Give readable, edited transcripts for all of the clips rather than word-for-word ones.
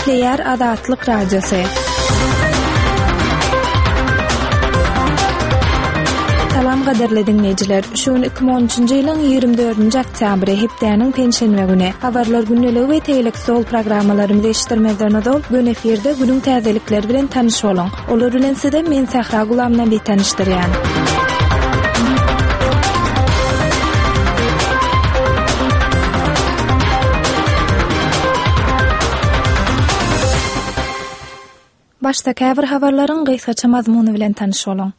Gepleýär Azatlyk Radiosy. Salam gadyrly diňleýjiler. Şu gün 2013-nji ýylyň 24-nji oktýabry, hepdäniň penşenbe güni. Habarlar gündeligi we tegelek stol programmalarymyzy eşitdirmezden ozal, göni efirde günüň täzelikleri bilen tanyş boluň. Olar bilen sizi men Sähra Gulamnabi tanyşdyrýan. Başda käbir habarlaryň gysgaça mazmuny bilen tanyş boluň.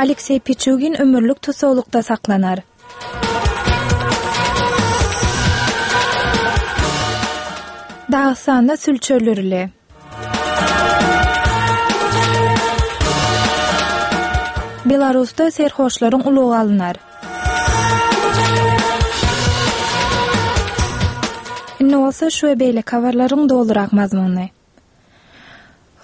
Alekseý Piçugin ömürlik tussaglykda saklanar. Dagystanda sülçi öldürildi. Belarusda serhoşlaryň ulagy alnar. Indi bolsa şu we beýleki habarlaryň dolurak mazmuny.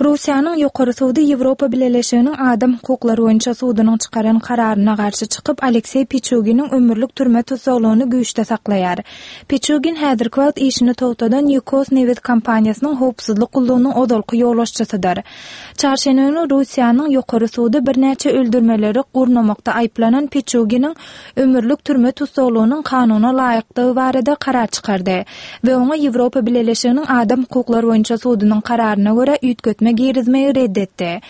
Russiýanyň Ýokary sudy Ýewropa Bileleşiginiň Adam hukuklary boýunça sudunyň çykaran kararyna garşy çykyp, Alekseý Piçuginiň ömürlik türme tussaglygyny güýçde saklaýar. Piçugin häzirki wagt işini togtadan Ýukos nebit kompaniýasynyň howpsuzlyk gullugynyň ozalky ýolbaşçysydyr. Çarşenbe güni Russiýanyň Ýokary sudy birnäçe öldürmeleri gurnamakda aýyplanan Piçuginiň ömürlik türme tussaglygynyň kanuna laýykdygy barada karar çykardy we oňa Ýewropa Bileleşiginiň Adam hukuklary boýunça sudunyň kararyna görä üýtgetme girizmegi red etdi.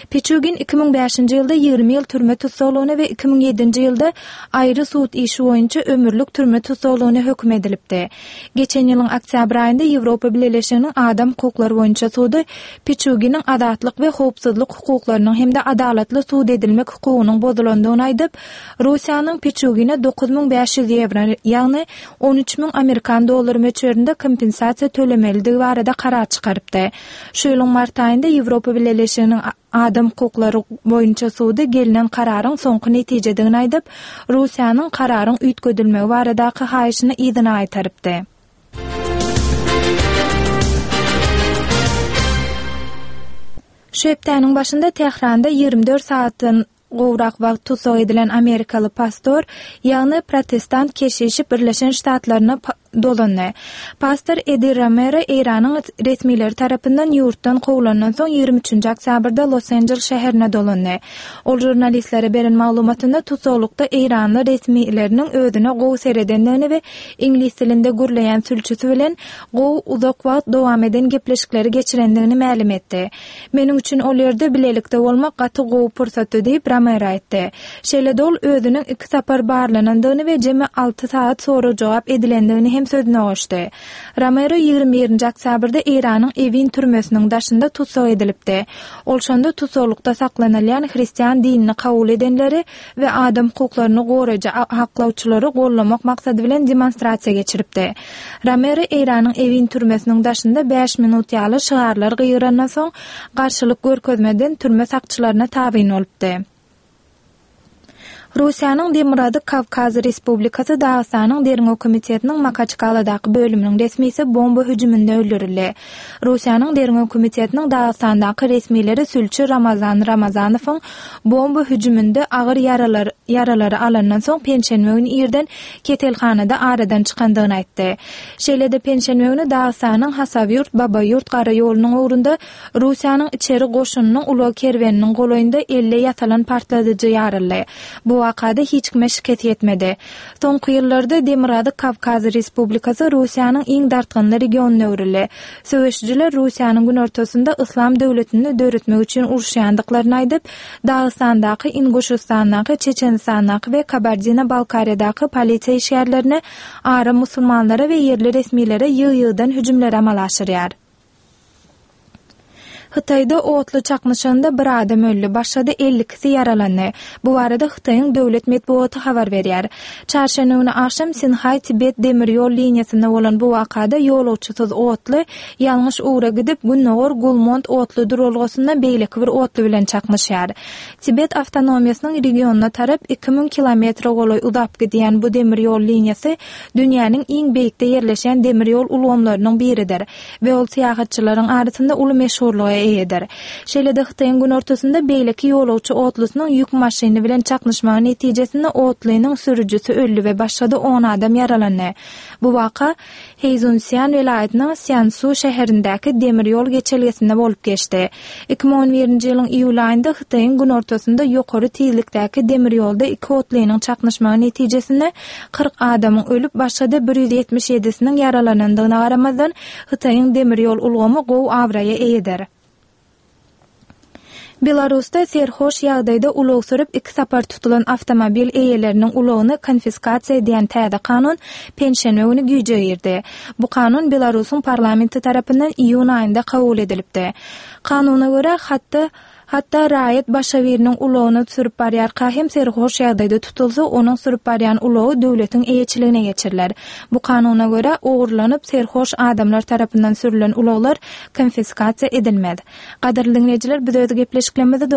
Piçugin 2005-nji ýylda 20 ýyl türme tussaglygyna we 2007-nji ýylda aýry sud işi boýunça ömürlik türme tussaglygyna höküm edilipdi. Geçen ýylyň oktýabr aýynda Ýewropa Bileleşiginiň Adam hukuklary boýunça sudy Piçuginiň azatlyk we howpsuzlyk hukuklarynyň hem-de adalatly sud edilmek hukugynyň bozulandygyny aýdyp, Russiýanyň Piçugine 9500 ýewro, ýagny 13 müň amerikan dollary möçberinde kompensasiýa tölemelidigi barada karar çykarypdy. Şu ýylyň mart aýynda Ýewropa Bileleşiginiň Adam hukuklary boýunça sudy gelnen kararyň soňky netijedigini aýdyp, Russiýanyň kararyň üýtgedilmegi baradaky haýyşyny yzyna gaýtarypdy. Şu hepdäniň başynda Tähranda 24 sagatdan gowrak wagt tussag edilen amerikaly pastor, ýagny protestant keşişi Birleşen Ştatlaryna dolandy. Pastor Edi Romero Eýranyň resmileri tarapyndan ýurtdan kowlandan soň 23-nji oktýabrda Los-Anjels şäherine dolandy. Ol žurnalistlere beren maglumatynda tussaglykda eýranly resmileriniň özüne gowy seredendigini we iňlis dilinde gürleýän sülçüsi bilen gowy uzak wagt dowam eden gepleşikleri geçirendigini mälim etdi. Meniň üçin ol ýerde bilelikde bolmak gaty gowy pursatdy diýip, Romero aýtdy. Şeýle-de ol özüniň iki sapar barlanandygyny we jemi alty sagat sorag-jogap edilendigini hem sözüne goşdy. Romero 21-nji oktýabrda Eýranyň Ewin türmesiniň daşynda tussag edilipdi. Ol şonda tussaglykda saklanylýan hristian dinini kabul edenleri we adam hukuklaryny goraýjy aklawçylary gollamak maksady bilen demonstrasiýa geçiripdi. Romero Eýranyň Ewin türmesiniň daşynda bäş minut ýaly şygarlar gygyrandan soň, garşylyk görkezmeden türme sakçylaryna tabyn bolupdy. Russiýanyň Demirgazyk Kawkaz Respublikasy Dagystanyň Derňew komitetiniň Makaçkaladaky bölüminiň resmisi bomba hüjüminde öldürildi. Russiýanyň Derňew komitetiniň Dagystandaky resmileri sülçi Ramazan Ramazanowyň bomba hüjüminde agyr ýaralary alandan soň penşenbe güni irden keselhanada aradan çykandygyny aýtdy. Şeýle-de penşenbe güni Dagystanyň Hasawýurt-Babaýurt gara ýolunyň ugrunda Russiýanyň içeri goşunynyň ulag kerweniniň golaýynda elle ýasalan partladyjy ýaryldy. Bu wakada hiç kime şikes ýetmedi. Soňky ýyllarda Demirgazyk Kawkaz Respublikasy Russiýanyň iň dartgynly regionyna öwrüldi. Söweşijiler Russiýanyň günortasynda Yslam döwletini döretmek üçin uruşýandyklaryny aýdyp, Dagystandaky, Inguşystandaky, Çeçenistandaky we Kabardino-Balkariýadaky polisiýa işgärlerine, aram musulmanlara we ýerli resmilere ýygy-ýygydan hüjümleri amala aşyrýar. Hytaýda otly çaknyşygynda bir adam öldi, başga-da 52-si ýaralandy. Bu barada Hytaýyň döwlet metbugaty habar berýär. Çarşenbe güni agşam Sinhaý-Tibet demir ýol liniýasynda bolan bu wakada ýolagçysyz otly ýalňyş ugra gidip, gündogar Gulmont otly duralgasynda beýleki bir otly bilen çaknyşýar. Tibet awtonomiýasynyň regionyna tarap 2000 kilometre golaý uzap gidýän bu demir ýol liniýasy dünýäniň iň beýikde ýerleşen demir ýol ulgamlarynyň biridir. We ol syýahatçylaryň arasynda uly meşhurlyga eýe. eýedir. Şeýle-de Hytaýyň günortasynda beýleki ýolagçy otlusynyň ýük maşyny bilen çaknyşmagy netijesinde otlynyň sürüjisi öldi we başga-da on adam ýaralandy. Bu waka Heýzunszýan welaýatynyň Sýansu şäherindäki demir ýol geçelgesinde bolup geçdi. 2011-nji ýylyň iýul aýynda Hytaýyň günortasynda ýokary tizlikdäki demir ýolda iki otlynyň çaknyşmagy netijesinde 40 adamyň ölüp, başga-da 177-siniň ýaralanandygyna garamazdan, Hytaýyň demir ýol ulgamy gowy abraýa eýedir. Belarusda serhoş ýagdaýda ulag sürüp iki sapar tutulan awtomobil eýeleriniň ulagyny konfiskasiýa edýän täze kanun penşenbe güni güýje girdi. Bu kanun Belarusyň parlamenti tarapyndan iýun aýynda kabul edilipdi. Kanuna görä, hatda Hatda raýat başga biriniň ulagyny sürüp barýarka hem serhoş ýagdaýda tutulsa, onuň sürüp barýan ulagy döwletiň eýeçiligine geçiriler. Bu kanuna görä, ogurlanyp, serhoş adamlar tarapyndan sürülen ulaglar konfiskasiýa edilmez. Gadyrly diňleýjiler, biz öz gepleşiklerimizi.